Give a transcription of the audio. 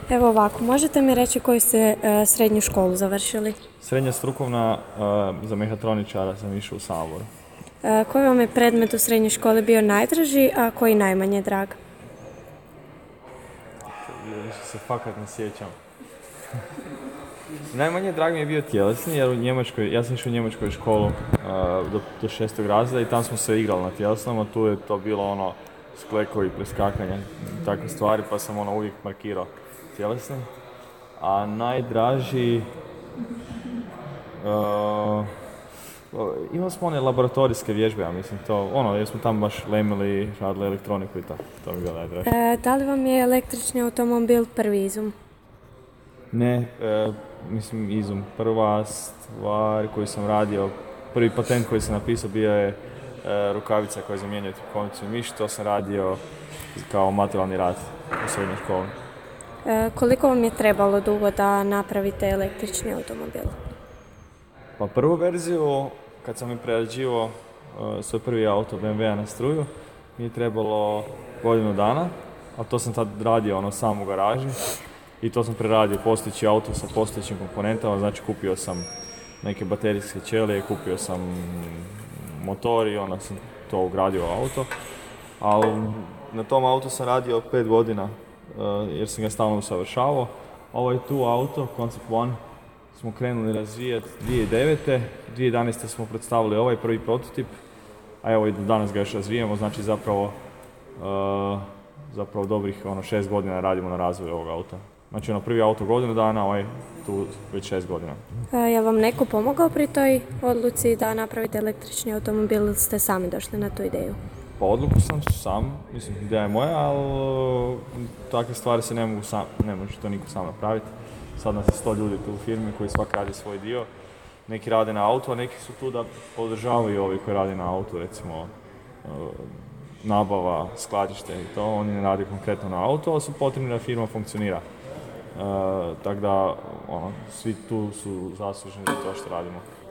Evo ovako, možete mi reći koju ste srednju školu završili? Srednja strukovna za mehatroničara sam išao u Samoboru. Koji vam je predmet u srednjoj školi bio najdraži, a koji najmanje drag? Više se fakat ne sjećam. Najmanje drag mi je bio tjelesni, jer ja sam išao u njemačkoj školu do 6. razreda i tam smo se igrali na tjelesnom, a tu je to bilo ono sklekovi, preskakanja i takve stvari, pa sam uvijek markirao tjelesni. A najdraži... imali smo one laboratorijske vježbe, ja mislim, jer smo tamo baš lemili, radili elektroniku i tako, to mi je bilo najdraže. Da li vam je električni automobil prvi izum? Ne, mislim izum. Prva stvar koju sam radio, prvi patent koji sam napisao bio je rukavica koja zamjenjuje trbuhonicu i miš, to sam radio kao materijalni rad u srednjoj školi. Koliko vam je trebalo dugo da napravite električni automobil? Pa prvu verziju, kad sam mi prerađivao svoj prvi auto BMW-a na struju, mi je trebalo godinu dana, a to sam tad radio sam u garaži i to sam preradio postojeći auto sa postojećim komponentama, znači kupio sam neke baterijske ćelije, kupio sam motor i onda sam to ugradio u auto. Ali na tom autu sam radio 5 godina jer sam ga stalno usavršavao. Ovaj tu auto, Concept One, smo krenuli razvijati 2009. 2011. smo predstavili ovaj prvi prototip, a evo i danas ga još razvijamo, znači zapravo dobrih 6 godina radimo na razvoju ovog auta. Znači prvi auto godinu dana, ovaj tu već 6 godina. Je vam neko pomogao pri toj odluci da napravite električni automobil ili ste sami došli na tu ideju? Pa odluku sam sam, mislim ideja je moja, ali takve stvari se ne može to niko sam napraviti. Sad nas je 100 ljudi tu u firmi koji svak radi svoj dio. Neki rade na auto, a neki su tu da podržavaju ovi koji rade na auto, recimo nabava, skladište i to. Oni ne rade konkretno na auto, ali su potrebni da firma funkcionira. Tako da, svi tu su zaslužni za to što radimo.